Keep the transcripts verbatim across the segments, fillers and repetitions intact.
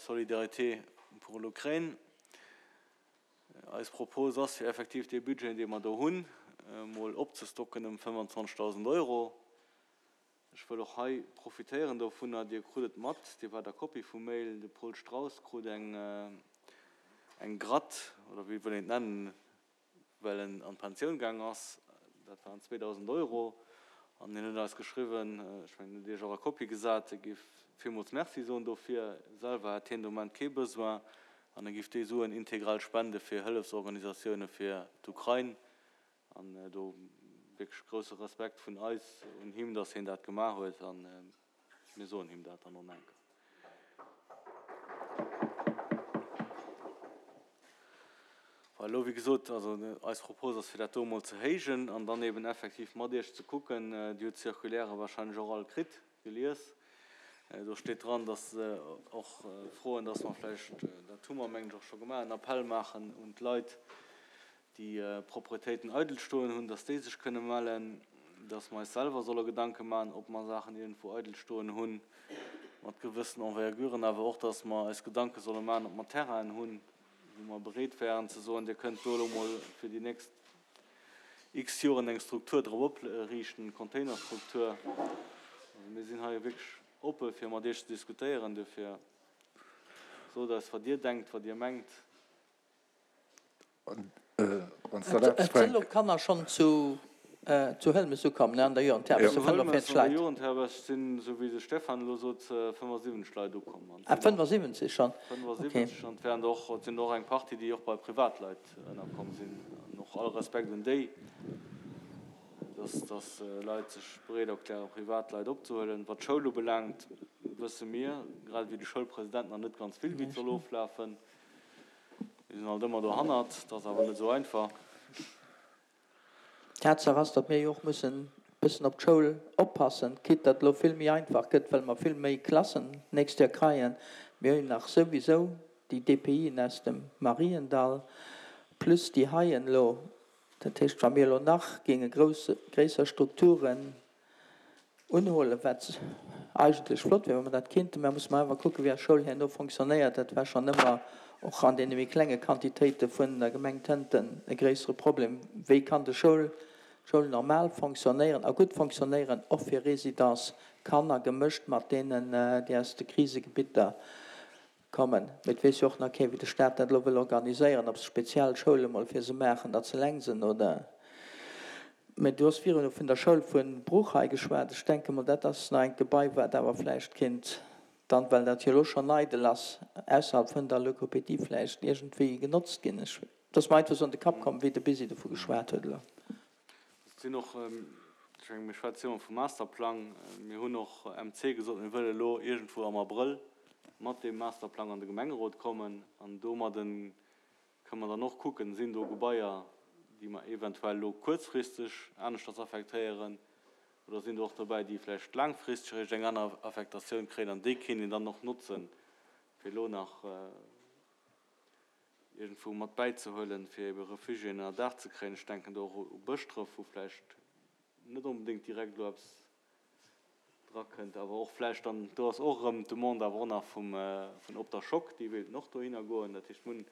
solidarité pour l'Ukraine. Eis Propos ass, fir effektiv dee Budget, dee mer do hunn, emol opzestocken ëm fënnefanzwanzegdausend Euro. Ech wëll och hei profitéieren dovunner, Dir krut et mat, Dir waart a Kopie vum Mail, de Paul Strauss krut eng eng Gratt, oder wéi wëll een et nennen, well en an d'Pensioun gaang ass, dat waren zweedausend Euro, an hien huet eis geschriwwen, ech mengen, en huet Iech och a Kopie gesat, e géif villmools Merci soen dofir, selwer hätt hien de Moment kee Besoin an e géif déi Suen integral spende fir Hëllefsorganisatioune fir d'Ukrain. An do wierklech grousse Respekt vun eis un him, dass hien dat gemaach huet a mir soen him dat dann och nach eng Kéier. Voilà, elo wéi gesot, also eis Propos ass fir dat do emol ze héijen an dann eben effektiv mat Iech ze kucken, Dir hutt d'Circulaire wahrscheinlech och all kritt, gelies, do steet dran, dass se och froen, dass mer vläicht, dat hu mer mengen ech och scho gemaach, en Appell maachen un d'Leit, déi Propretéiten eidel stoen hunn, dass déi sech kënne mellen, dass mer eis selwer solle Gedanke maachen, ob mer Saachen iergendwou eidel stoen hunn, mat gewëssen Enverguren, awer och, dass mer eis Gedanke solle maachen, ob mer Terrainen hunn, wou mer bereet wären ze soen, Dir kënnt do elo mol fir déi nächst x Joren eng Struktur drop opriichten, Containerstruktur. Also mir sinn hei wierklech oppe fir mat Iech ze diskutéieren. Duerfir sot eis, wat Dir denkt, wat Dir mengt. Et sinn elo Kanner schonn zu Hëlmes ukomm, ne, an der Jugendherberg, sou fënnefenvierzeg Leit. Zu Hëlmes an der Jugendherberg sinn, esou wéi de Stéphane elo sot, fënnefasiwwenzeg Leit ukomm. Ah, fënnefasiwwenzeg schonn, ok. Fënnefasiwwenzeg, an et wären der och, et sinn der och eng Partie, déi och bei Privatleit ënnerkomm sinn. An och all Respekt un déi, dass, dass Leit sech bereet erklären, Privatleit opzehuelen. Wat d'Schoul ubelaangt, wësse mir, grad ewéi de Schoulpresident, nach net ganz vill, wéi et soll oflafen. Mir sinn alt ëmmer dohannert, et ass awer net esou einfach. Tatsaach ass, datt mir jo och mussen e bëssen op d'Schoul oppassen, quitte datt elo vill méi einfach gëtt, well mer vill méi Klassen d'nächst Joer kreien. Mir hunn nach souwisou déi D P I'en aus dem Mariendall plus déi heien elo. Dat heescht, wa mir elo nach géinge grouss, gréisser Strukturen unhuelen, wat eigentlech flott wier, wa mer dat kéinten, mä musse mer awer kucken, wéi eis Schoul herno fonctionnéiert. Dat war schonn ëmmer, och an deene méi klenge Quantitéite vun der Gemeng Tënten, e gréissere Problem, Wéi kann de Schoul, d'Schoul normal fonctionnéieren a gutt fonctionnéieren, och fir Résidence-Kanner, gemëscht mat deenen, déi aus de Krisegebitter kommen. Mee et weess jo och nach keen, wéi de Staat dat elo wëll organiséieren, ob se speziell Schoule mol fir se maachen, datt se eleng sinn oder. Mee du hues virun vun der Schoul vu Bruch hei geschwat. Ech denke mol, dat ass nach engt Gebai, wat awer vläicht kéint dann, well dat jo elo schonn eidel ass, ausserhalb vun der Logopädie vläicht iergendwéi genotzt ginn. Ech, et ass mer einfach esou an de Kapp komm, wéi de Bisi dovu geschwat huet elo. Et sinn och, ech menge mir schwätze jo ëmmer vum Masterplang, mir hunn och M C gesot, mir wëlle elo iergendwou am Abrëll mat deem Masterplang an de Gemengerot kommen an domadden kënne mer dann och kucken, sinn do Gebaier, déi mer eventuell elo kuerzfristeg aneschters affektéieren oder sinn do och dobäi, déi vläicht laangfristeg eréischt eng aner Affektatioun kréien an déi kéint een dann och notzen, fir elo nach iergendwou mat bäizehuelen, fir ebe Refugiéen ënner Daach ze kréien. Ech denken do och u Bëschdref, wou vläicht net onbedéngt direkt elo eppes drakënnt, awer och vläicht dann, do ass och erëm d'Demande awer och nach vum, vun Op der Schock, déi wéilten och dohinner goen. Dat heescht, mir hunn,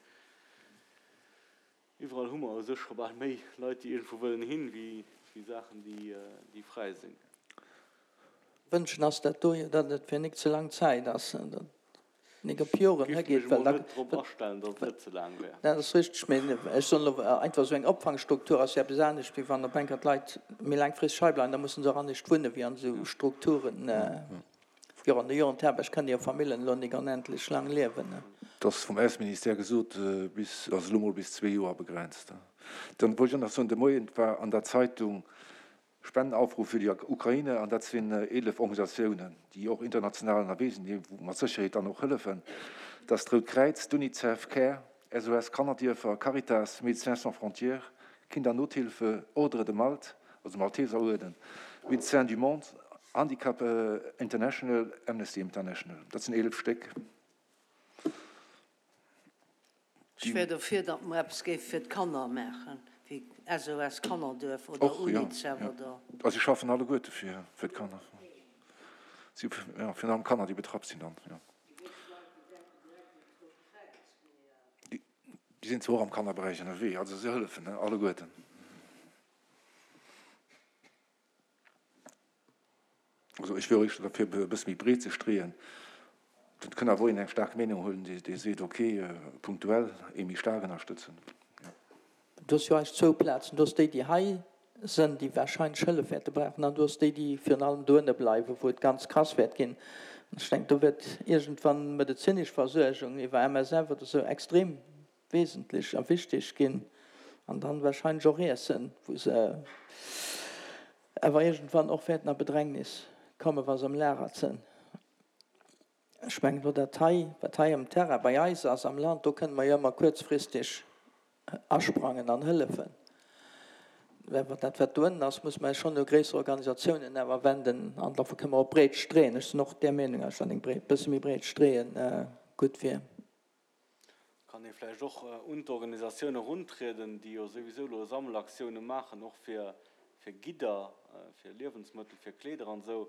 iwwerall hu mer u sech scho bal méi Leit, déi iergendwou wëllen hin, wéi, wéi Saachen, déi, déi fräi sinn. Wënschen ass dat do jo, datt et fir nik ze lang Zäit ass, datt nik op Joren Giff higeet, mech well emol da, net drop astellen, datt et net ze laang wär. Dat ass richteg, mee ech soen elo einfach, esou eng Opfangstruktur ass jo eppes anescht, wéi wann op eng Kéier d'Leit méi laangfristeg hei bleiwen. Da musse se och anescht wunne wéi an esou Strukturen. Jo, an der Jugendherberg kënne jo Famillen elo nik onendlech lang liewen. Et ass vum Ausseministère gesot, bis, also elo mol bis zwee Joer begrenzt. Dann wollt ech och nach soen, de Moien war an der Zeitung Spendenaufruf für die Ukraine, an dat sinn eelef Organisatiounen, déi och international ënnerwee sinn, déi mat Sécherheet dann och hëllefen. Dat ass d'Rout Kräiz, d'Unicef, Care, S O S Kannerdierfer, Caritas, Médecins sans frontières, Kindernothilfe, Ordre de Malte, also Malteseruerden, Médecins du Monde, Handicap International, Amnesty International. Dat sinn eelef Stéck. Ech wär dofir, datt mer eppes géife fir d'Kanner maachen, wéi S O S Kannerduerf oder Och, jo. Unicef oder. Also si schaffen alleguerte fir fir d'Kanner. Si, jo, virun allem Kanner, déi betraff sinn dann, jo. Déi sinn zwar och am Kannerberäich ënnerwee, also se hëllefen alleguerten. Also ech wier och éischter derfir, e bësse méi breet ze streeën. Dat kënn awer och een eng staark Meenung hunn, dee seet, okay, punktuell ee méi staark ënnerstëtzen. Du hues jo eigentlech zwou Plazen. Du hues déi, déi hei sënn, déi warscheinlech Hëllef wäerte brauchen, an du hues déi, déi virun allem doënne bleiwen, wou et ganz krass wäert ginn. An ech denken, do wäert iergendwann medezinesch Versuergung iwwer M S F oder esou extrem wesentlech a wichteg ginn. An dann warscheinlech och Iessen, wou se awer iergendwann och wäerten a Bedrängnis kommen, wa se am Lager sënn. Ech mengen elo dat hei, wat hei am Terrain bei eis ass am Land, do kënne mer jo ëmmer kuerzfristeg asprangen an hëllefen. Awer dat, wat do ënnen ass, muss mer eis schonn u gréisser Organisatiounen awer wenden an dofir kënne mer och breet streeën. Ech sinn och där Meenung, datt eng breet, bësse méi breet streeën gutt wier. Kann ee vläicht och un d'Organisatioune eruntrieden, déi jo souwisou elo Sammelaktioune maachen, och fir fir Gidder, fir Liewensmëttel, fir Kleeder an esou,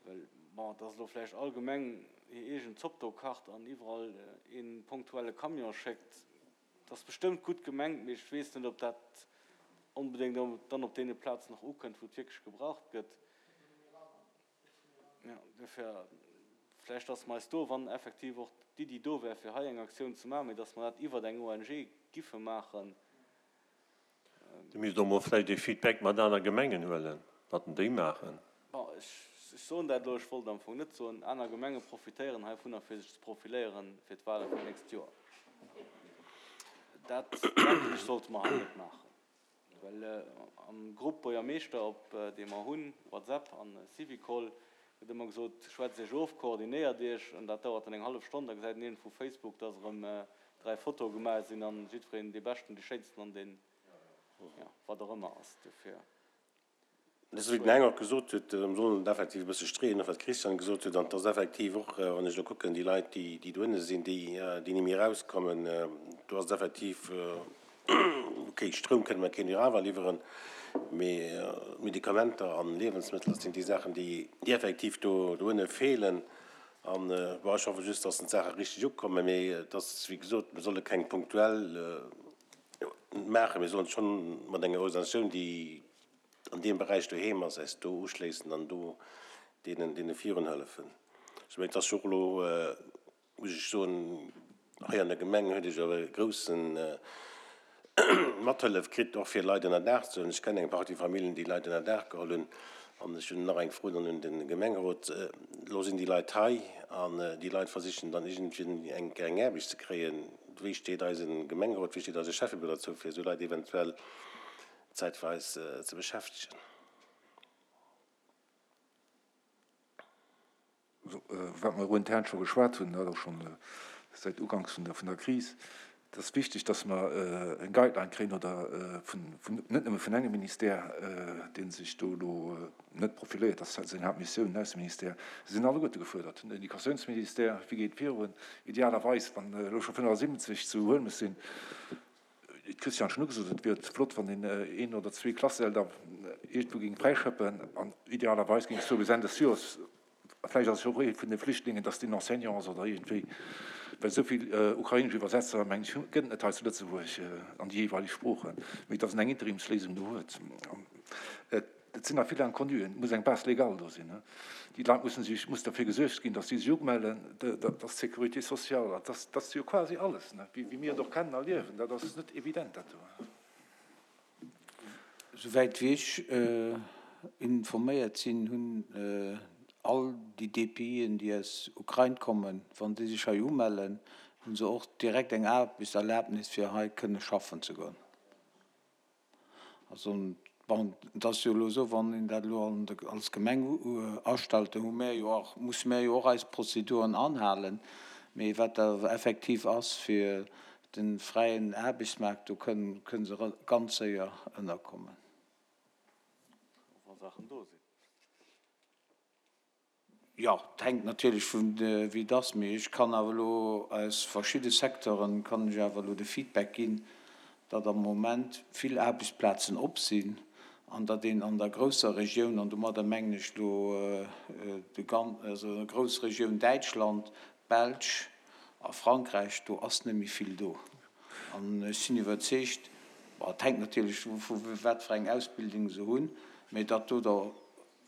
well, bon, et ass elo vläicht allgemeng hir eegen Zopp do kacht an iwwerall ee punktuelle Camion schéckt. Dat ass bestëmmt gutt gemengt, mee ech weess net, ob dat onbedéngt dann op deene Plazen och ukënnt, wou et wierklech gebraucht gëtt. Jo, duerfir vläicht, dass mer eis do, wann effektiv och d'Iddi do wär, fir hei eng Aktioun ze maachen, mee dass mer dat iwwert eng O N G giffe maachen. Dir misst och mol vläicht ee Feedback mat aner Gemengen huelen, wat denn déi maachen. Bon, ech soen dat elo, ech wollt am Fong net soen, aner Gemenge profitéieren heivunner, fir sech ze profiléieren fir d'Wahle vum nächst Joer. Dat, denken ech, sollte mer hei net maachen, well am Grupp Buergermeeschter, op dee mer hunn, WhatsApp an Syvicol, gëtt ëmmer gesot, schwätzt Iech of, koordinéiert Iech, an dat dauert dann eng hallef Stonn, da gesäit een iergendwou Facebook, dass erëm dräi Fotoe gemaach sinn an jiddwereen dee Beschten, dee Schéinsten an deen, jo, wat och ëmmer ass. Dofir. Dat ass, wéi den Heng och gesot huet, mir sollen et effektiv e bësse streeën, och wat d'Christiane gesot huet, an et ass effektiv och, wann ech elo kucken, déi Leit, déi, déi dohinne sinn, déi, déi ni méi erauskommen, do ass et effektiv, okay, Stroum kënne mer keen jo awer liwweren, mee Medikamenter an Liewensmëttel, dat sinn déi Saachen, déi, déi effektiv do, dohinne feelen. An, bon, ech hoffe just, dass d'Saache richteg ukommen, mee et ass, wéi gesot, mir solle keng punktuell maachen, mir sollen schonn mat enger Organisatioun, déi an deem Beräich doheem ass, eis do uschléissen an do deenen, deene virun hëllefen. Ech mengen, et ass jo och elo, muss ech soen, hei an der Gemeng huet ech awer e groussen Mathëllef kritt, och fir Leit ënnerdaach ze huelen. Ech kennen eng Partie Familljen, déi Leit ënnerdaach geholl hunn. An ech hunn nach eng Fro dann un de Gemengerot. Elo sinn déi Leit hei an déi Leit versichen dann iergendwéi eng eng Aarbecht ze kréien. Wéi steet eise Gemengerot, wéi steet eise Schäffebüro dozou, fir esou Leit eventuell zäitweis ze beschäftegen? Wat mer intern scho geschwat hunn, dat och schonn säit uganks vun der vun der Kris, et ass wichteg, dass mer eng Guideline kréien oder vun, vun, net nëmme vun engem Ministère, dee sech do elo net profiléiert, dat ass seng Haaptmissioun, den Ausseministère. Se sinn alleguerte gefuerdert, den Educatiounsministère, wéi geet et virun? Idealerweis, wann elo scho fënnefasiwwenzeg zu Huelmes sinn, wéi d'Christiane schonn ugesot huet, wier et flott, wann een een oder zwee Klassesäll da iergendwou géing fräischëppen an idealerweis géing et sou bis Enn des Joers, vläicht ass et jo och ee vun de Flüchtlingen, dass deen Enseignant ass oder iergendwéi, well esou vill ukrainesch Iwwersetzer, mengen ech, gëtt et net hei zu Lëtzebuerg an déi jeeweileg Sproochen, mee dass en eng Interimsléisung do huet. Et sinn nach vill Inconnuen, et muss eng Base légale do sinn. Déi Leit mussen sech, muss derfir gesuergt ginn, dass si sech umellen, dat ass d'Sécurité sociale, dat ass, dat ass jo quasi alles, wéi mir et och kennen a liewen. Dat ass net evident, dat do. Souwäit wéi ech informéiert sinn, hunn all déi D P Ien, déi aus Ukrain kommen, wann déi sech hei umellen, hu se och direkt eng Aarbechtserlaabnis, fir hei kënne schaffen ze goen. Also, bon, et ass jo elo esou, wann een dat elo als Gemeng astellt, da hu mir jo och, musse mir jo och eis Prozeduren anhalen. Mee wat da effektiv ass fir de fräien Aarbechtsmaart, do kënnen, kënne se ganz séier ënnerkommen. Wa Saachen do sinn. Jo, et hänkt natierlech vun wéi et ass, mee ech kann awer elo aus verschidde Secteuren, kann ech awer elo de Feedback ginn, datt am Moment vill Aarbechtsplazen op sinn an datt een an der grousser Regioun, an domadder mengen ech elo de gan, also Groussregioun Däitschland, Belsch a Frankräich, do ass net méi vill do. An ech sinn iwwerzeegt, bon, et hänkt natierlech dovu wat fir eng Ausbildung se hunn, mä datt do der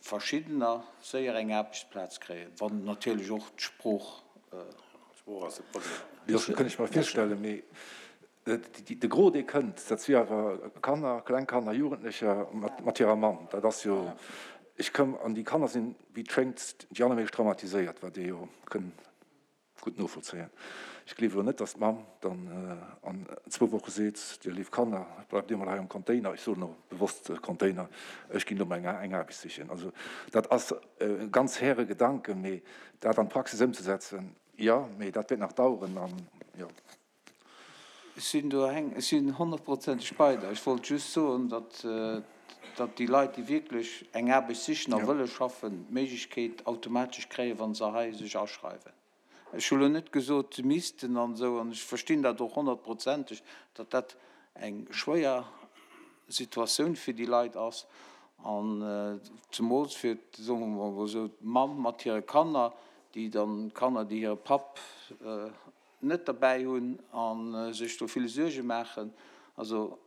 verschiddener séier eng Aarbechtsplaz kréien, wann natierlech och d'Sprooch. D'Sprooch ass de Problem. Jo, dat kënn ech mer virstellen, mee de Gros, dee kënnt, dat si awer Kanner, kleng Kanner, Jugendlecher mat hirer Mamm. Dat ass jo, ech koum, an déi Kanner sinn, wéi et schéngt, déi allermeescht traumatiséiert, wat ee jo kënn gutt novollzéien. Ech gleewe elo net, datt d'Mamm dann an zwou Woche seet, Dir léif Kanner, bleift Dir mol hei am Container, ech soen elo bewosst Container, ech ginn elo mol eng Aarbecht sichen. Also dat ass e ganz haire Gedanken, mee dat an d'Praxis ëmzesetzen, jo, mee dat wäert nach daueren an jo. Ech sinn do, Heng, ech sinn honnertprozenteg bei der. Ech wollt just soen, datt, datt déi Leit, déi wierklech eng Aarbecht sichen a wëlle schaffen, d'Méiglechkeet automatesch kréien, wa se hei sech aschreiwen. Ech hu lo net gesot, se missten an esou, an ech verstinn dat och honnertprozenteg, datt dat eng schwéier Situatioun fir déi Leit ass, an zemools fir, soe mer mol esou, d'Mamm mat hire Kanner, déi dann, d'Kanner, déi hire Papp net derbäi hunn a sech do vill Suerge maachen. Also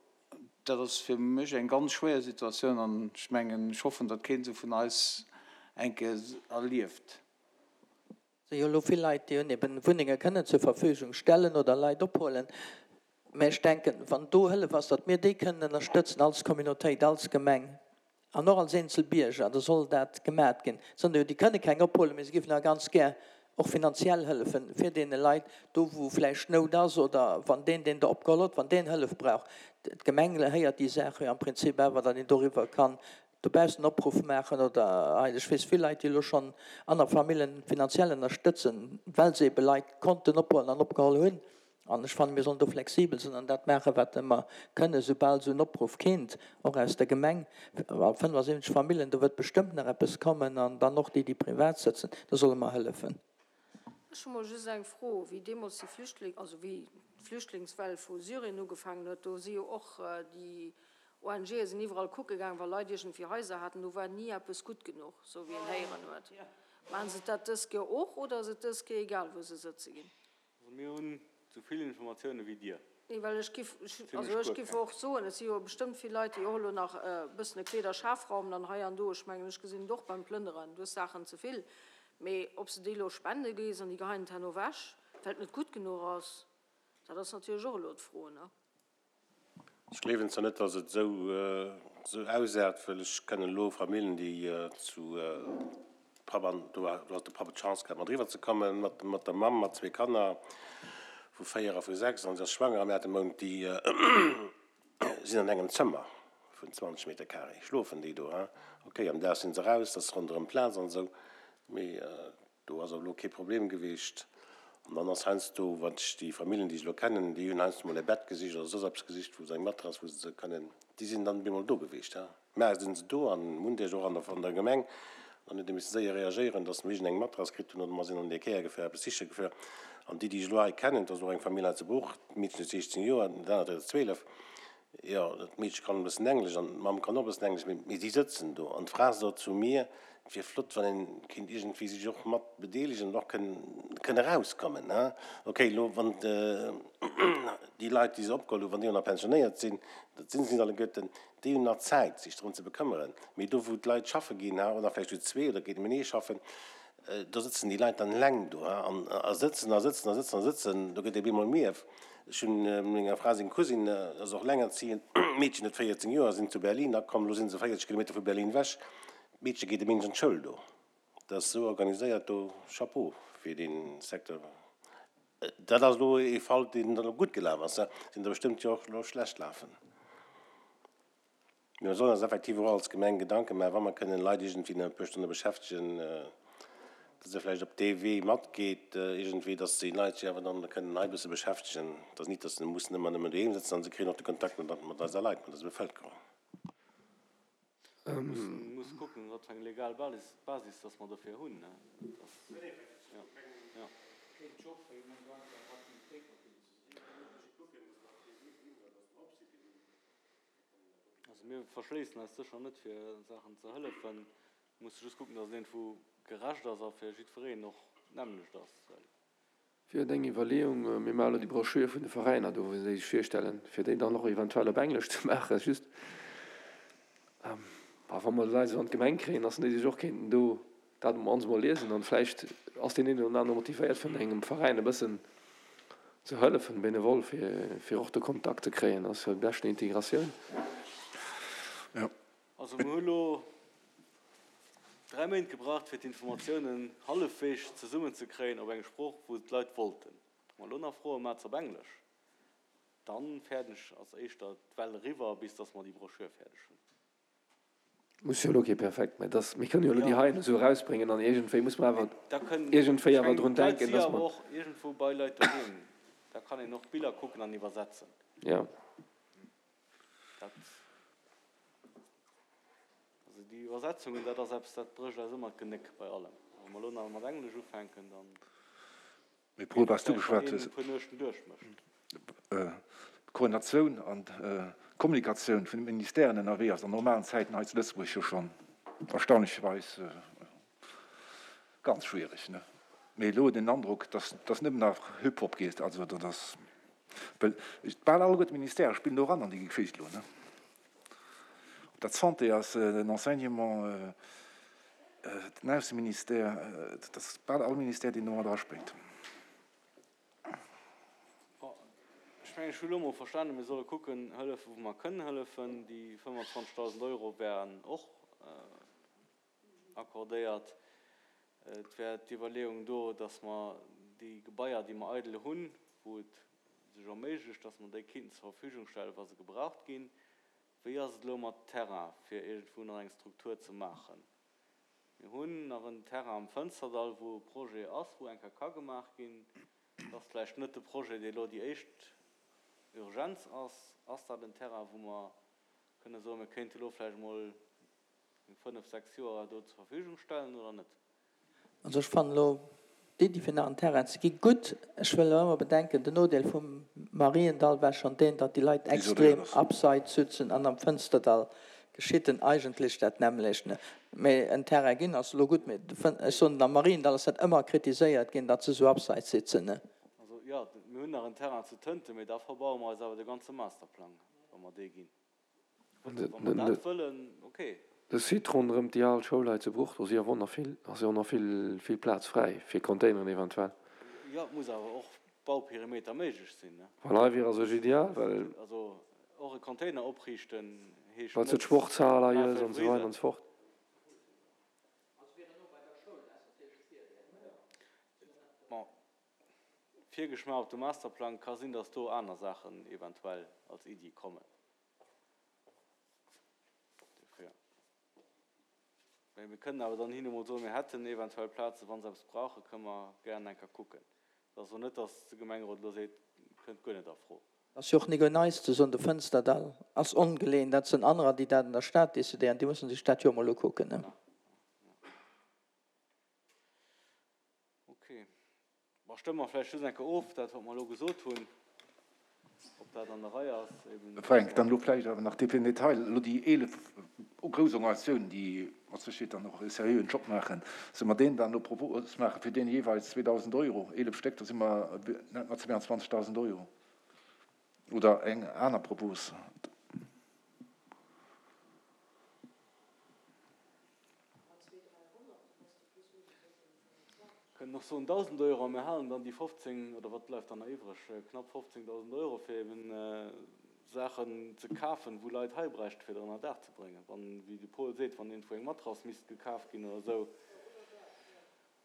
dat ass fir mech eng ganz schwéier Situatioun an ech mengen, ech hoffen, datt keen se vun eis eng Kéier erlieft. Et si jo elo vill Leit, déi hunn eben Wunnenge kënnen zur Verfügung stellen oder Leit ophuelen. Mä ech denken, wann do Hëllef ass, datt mir déi kënnen ënnerstëtzen als Communautéit, als Gemeng an och als eenzel Bierger, da soll dat gemat ginn. Et sinn der jo, déi kënne keng ophuelen, mä se géifen awer ganz gär och finanziell hëllefen fir deene Leit, do wou vläicht Nout ass oder wann deen, deen der opgeholl huet, wann deen Hëllef brauch. D'Gemeng héiert déi Saach jo am Prinzip awer, datt een doriwwer kann dobaussen Opruff maachen oder hei, ech weess vill Leit, déi elo schonn aner Famillen finanziell ënnerstëtzen, well se ebe Leit konnten ophuelen an opgeholl hunn. An ech fannen, mir sollen do flexibel sinn an dat maachen, wat mer kënnen, soubal esou en Opruff kéint, och aus der Gemeng. A fënnefasiwwenzeg Famillen, do wërt bestëmmt nach eppes kommen an dann och déi, déi privat sëtzen, do solle mer hëllefen. Ech hu mol just eng Fro, Wéi deemools déi Flüchtling, also wéi d'Flüchtlingswell vu Syrien ugefaangen huet, do si jo och déi ONGe sinn iwwerall kucke gaang, wa Leit iergendwéi Haiser haten, do war ni eppes gutt genuch, esou wéi een héieren huet. Maachen se dat dës Kéier och oder ass et dës Kéier egal, wou se sëtze ginn? Also mir hunn esou vill Informatioune wéi Dir. Nee, well ech giff, also ech giff och soen, et si jo bestëmmt vill Leit, déi och elo nach e bëssen e Kleederschafraum dann hei an do, ech mengen, ech gesinn et och beim Plënneren, du hues Saachen ze vill, mee ob s de déi elo spende gees an déi geheien et herno ewech, well et net gutt genuch ass, dat ass natierlech och elo d'Fro, ne? Ech gleewen zwar net, dass et esou ausaart, well ech kennen elo Familljen, déi zu Papp an do hat de Papp d'Chance gehat, mat eriwwer ze kommen, mat der Mamm, mat zwee Kanner vu véier a vu sechs, an si ass schwanger am aachte Mount, déi sinn an engem Zëmmer vun zwanzeg Meter carré, schlofen déi do. Ok, am Dag sinn se eraus, et ass ronderëm Plaz an esou, mee Do ass awer elo kee Problem gewiescht. An dann ass heiansdo, wat ech, déi Familljen, déi ech elo kennen, déi hunn heiansdo mol e Bett gesicht oder soss eppes gesicht, wou se eng Matrass, wou se se kënnen, déi sinn dann op eemol do gewiescht. Mä sinn se do an Mundesch och an der, an der Gemeng. Dann huet ee misse séier reagéieren, dass mer iergend eng Matrass kritt hunn oder mer sinn an déi Kéier gefuer, eppes siche gefuer. An déi, déi ech elo hei kennen, dat ass och eng Famill hei zu Bruch, d'Meedchen huet siechzéng Joer, dat anert huet zwielef. Jo, dat Meedche kann e bëssen Englesch an d'Mamm kann och e bëssen Englesch, mee si sëtzen do an d'Fra sot zu mir, et wier flott, wann een kéint iergendwéi sech och mat bedeelegen an och kënn erauskommen. Ok, elo wann déi Leit, déi se opgeholl hunn, wann déi och nach pensionéiert sinn, dat sinn se net alleguerten, déi hunn nach Zäit, sech drëm ze bekëmmeren. Mee do, wou d'Leit schaffe ginn, oder vläicht zu zwee oder géint nëmmen ee schaffen, do sëtzen déi Leit dann eleng do a sëtzen a sëtzen a sëtzen a sëtzen, do gëtt ee bemol mierf. Ech hunn menger Fra seng Cousine, ass och elengerziehend, d'Meedchen huet véierzéng Joer, sinn zu Berlin akomm, elo si se véierzeg Kilometer vu Berlin ewech, d'Meedche geet e Méindeg an d'Schoul do. Dat ass esou organiséiert do, Chapeau fir dee Secteur. Dat ass elo ee Fall, deen elo gutt gelaf ass, sinn der bestëmmt jo och elo schlecht lafen. Mee mer sollen eis effektiv och als Gemeng Gedanke maachen, wa mer kënnen Leit iergendwéi nach e puer Stonne beschäftegen, dass se vläicht op dee Wee matgeet iergendwéi, dass déi Leit sech awer dann kënnen hei e bësse beschäftegen, dass nit, dass se mussen ëmmer nëmmen doheem sëtzen an se kréien och de Kontakt mat mat eiser Leit, mat eiser Bevëlkerung. Mir musse kucken, wat fir eng legal Basis dass mer dofir hunn. Dat ass, jo, jo. Also mir verschléissen eis sécher net fir Saachen ze hëllefen. Mir musse just kucken, datt et iergendwou gerecht ass a fir jiddwereen och d'nämmlecht ass. Well Fir deng Iwwerleeung, mir maache elo déi Broschür vun de Veräiner do, wou se déi sech virstellen, fir déi dann och eventuell op Englesch ze maachen, just wa mer d'Leit esou an d'Gemeng kréien, dass déi sech och kéinten do dat ons emol liesen an vläicht ass deen een oder anere motivéiert vun engem Veräin e bëssen ze hëllefen, benevol, fir fir och de Kontakt ze kréien. Dat ass jo déi beschten Integratioun. Also mir hu lo dräi Méint gebraucht, fir d'Informatiounen hallefweegs zesummenzekréien op eng Sprooch, wou d'Leit wollten. Wa mer elo nach froen, Maacht se op Englesch, dann fäerten ech, ass éischter d'Well eriwwer, bis dass mer déi Broschür fäerdeg hunn. Muss jo elo kee perfekt, mä dass, mir kënnen jo elo déi heien esou erausbréngen an iergendwéi muss mer awer Da kënnen, iergendwéi ech awer mengen, drun d'Leit denken, si dass awer mer. och iergendwou bei Leit doheem, da kann een och Biller kucken an iwwersetzen. Jo. Dat, also déi Iwwersetzungen, dat ass eppes, dat brécht eis ëmmer d'Genéck bei allem. Wa mer elo nach mat Englesch ufänken, dann Mee Paul, geet et wat s du vläicht, wann geschwat een hues, e puer Nuechten duerchmécht. d'Koordinatioun an d'Kommunikatioun vun de Ministèren ënnerwee ass an normalen Zäiten hei zu Lëtzebuerg jo schonn erstaunlecherweis ganz schwierig, ne? Mee elo den Androck, dass dass nëmmen nach Hip-Hop geet, also dat ass, well bal alleguer d'Ministèrë spillen do eran an déi Geschicht elo, ne? Ob dat d'Santé ass, den Enseignement, den Ausseministère, dat ass bal all Ministère, deen do mat eraspréngt. Bon, ech mengen, ech hu elo mol verstanen, mir solle kucken, hëllefen, wou mer kënnen hëllefen. Déi fëmmendzwanzegdausend Euro wären och accordéiert. Et wär d'Iwwerleeung do, dass mer déi Gebaier, déi mer eidel hunn, wou et sech erméiglecht, dass mer déi kéinten zur Verfügung stellen, wa se gebraucht ginn. Wéi ass et elo mat Terrain, fir iergendwou nach eng Struktur ze maachen? Mir hunn nach en Terrain am Fënsterdall, wou e Projet ass, wou eng Kéier ka gemaach ginn. Et ass vläicht net de Projet, dee elo déi éischt Urgenz ass. Ass dat en Terrain, wou mer kënne soen, mir kéinte elo vläicht emol eng fënnef, sechs Joer do zur Verfügung stellen oder net? Also ech fannen elo d'Iddi fir nach en Terrain ze gi gutt. Ech wëll awer ëmmer bedenken, den Nodeel vum Mariendall war schonn deen, datt déi Leit Isoléiert extrem ass. abseits sutzen an am Fënsterdall geschitt en eigentlech dat nämmlecht. Mee en Terrain ginn ass elo gutt, mee ech soen, am Mariendall ass dat ëmmer kritiséiert ginn, datt se esou abseits sitzen. Also jo, mir hunn nach en Terrain zu Tënten, mee da verbaue mer eis awer de ganze Masterplang, wa mer dee ginn. Wa mer dat wëllen, okay. De Site ronderëm déi al Schoul hei zu Bruch, do si awer och nach vill, ass jo och nach vill, vill Plaz fräi fir Containeren eventuell. Jo, et muss awer och Bauperimeter méiglech sinn, ne? Well hei wier a sech ideal, well. Also och e Container opriichten heescht Well s du net d'Sportshal hei hues an esou weider an favoriséieren. esou fort. Bon, Virgeschmaach op de Masterplang, ka sinn, datt do aner Saachen eventuell als Iddi kommen. Dofir. Mä mir kënnen awer dann hinne mol soen, mir hätten eventuell Plazen, wa se eppes brauchen, kënne mer gären eng Kéier kucken. Et ass elo net, datt de Gemengerot elo seet, kënnt guer net a Fro. Ass jo och nik un eis ze soen, de Fënsterdall ass ongeleen, dat sinn anerer, déi dat an der Stad decidéieren, déi mussen sech dat jo emol ukucken. Ok. Bon, stëmme mer vläicht just eng Kéier of, dat wat mer elo gesot hunn, ob dat an der Rei ass, eben. Fränk, dann elo vläicht awer nach fir den Detail, elo déi eelef grouss Organisatiounen, déi mat Sécherheet dann och e seriöen Job maachen, solle mer deenen dann elo Propos maachen, fir deene jeeweils zweedausend Euro, eelef Stéck, da si mer net mat zweeandzwanzegdausend Euro, oder eng aner Propos? Kënnen och soen dausend Euro a mir halen dann déi fofzéng, oder wat bleift dann nach iwwreg, knapp fofzéngdausend Euro fir eben Saachen ze kafen, wou Leit hei bräichten, fir der ënner Daach ze bréngen. Wann, wéi de Paul seet, wann iergendwou eng Matrass misst gekaf ginn oder esou.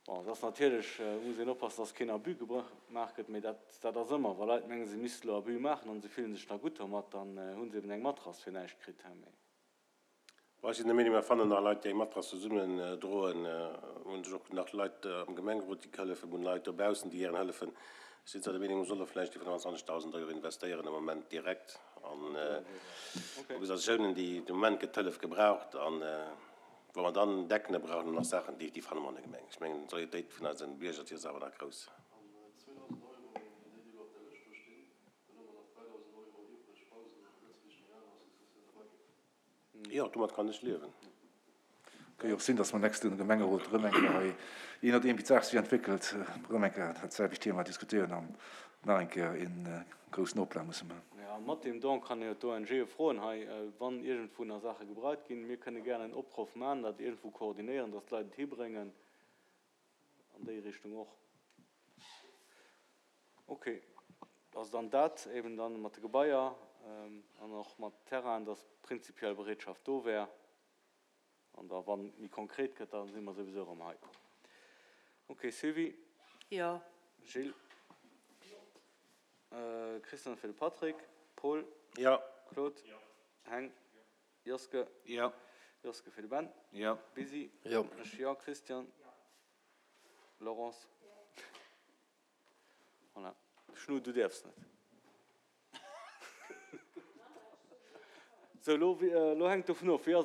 Bon, et ass natierlech, muss een oppassen, dass keen Abus gemaach gëtt, mee dat, dat ass ëmmer, wa Leit mengen, se misste elo Abus maachen an se fillen sech da gutt domat, dann hu se eben eng Matrass fir näischt kritt. Mee. Bon, ech sinn der Meenung, mer fannen nach Leit, déi eng Matrass zesummen droen. Mer hunn sech och nach Leit am Gemengerot, déi hëllefen. Mer hunn Leit dobaussen, déi gären hëllefen. Ech sinn zwar der Meenung, mer solle vläicht déi fënnwandzwanzegdausend Euro investéieren am Moment direkt an Organisatiounen, déi de Moment gëtt d'Hëllef gebraucht. An wa mer dann Decken brauchen an nach Saachen, déi fanne mer an der Gemeng. Ech mengen, d'Solidaritéit vun eise Bierger, déi ass awer nach grouss. Jo, domat kann ech liewen. Ka jo och sinn, dass mer nächste Gemengerot erëm eng Kéier hei, jee nodeem wéi d'Saach sech entwéckelt, erëm eng Kéier dat selwecht Thema diskutéieren an nach eng Kéier ee groussen Oplag musse maachen. Jo, mat deem Don kann ee jo d'ONGe froen hei, wann iergendwou nach Saache gebraucht ginn. Mir kënne gären en Opruff maachen, dat iergendwou koordinéieren, dass d'Leit et hibréngen. An déi Richtung och. Okay. Also dann dat eben dann mat de Gebaier an och mat Terrainen, dass prinzipiell Bereetschaft do wär. An da wann et méi konkret gëtt, da si mer souwisou erëm hei. Okay, Sylvie? Jo. Gilles? Christian fir de Patrick. Paul? Jo. Claude? Jo. Heng? Joske? Jo. Joske fir de Ben. Jo. Busy? Jo. Ech jo. Christian? Laurence? Voilà. Schnu, du däerfs net. Sou, elo, elo hänkt dovun of, wéi ass.